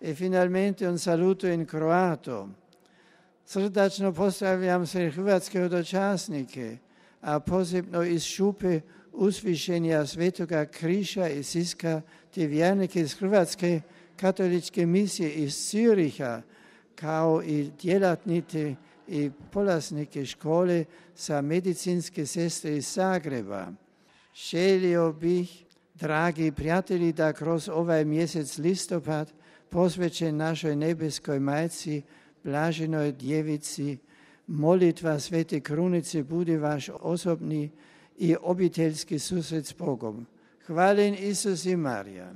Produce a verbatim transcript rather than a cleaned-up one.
E finalmente un saluto in croato. Srdačno pozdravljam sve hrvatske dočasnike, a posebno iz Šupe Usvišenja Svetoga Križa i Siska, te vjernike iz Hrvatske katoličke misije iz Züricha, kao i djelatnike i polaznike škole sa medicinske sestre iz Zagreba. Želio bih, dragi prijatelji, da kroz ovaj mjesec listopad posvećen našoj nebeskoj majci, Blaženoj djevici, molitva Svete Krunice bude vaš osobni i obiteljski susret s Bogom. Hvaljen Isus i Marija.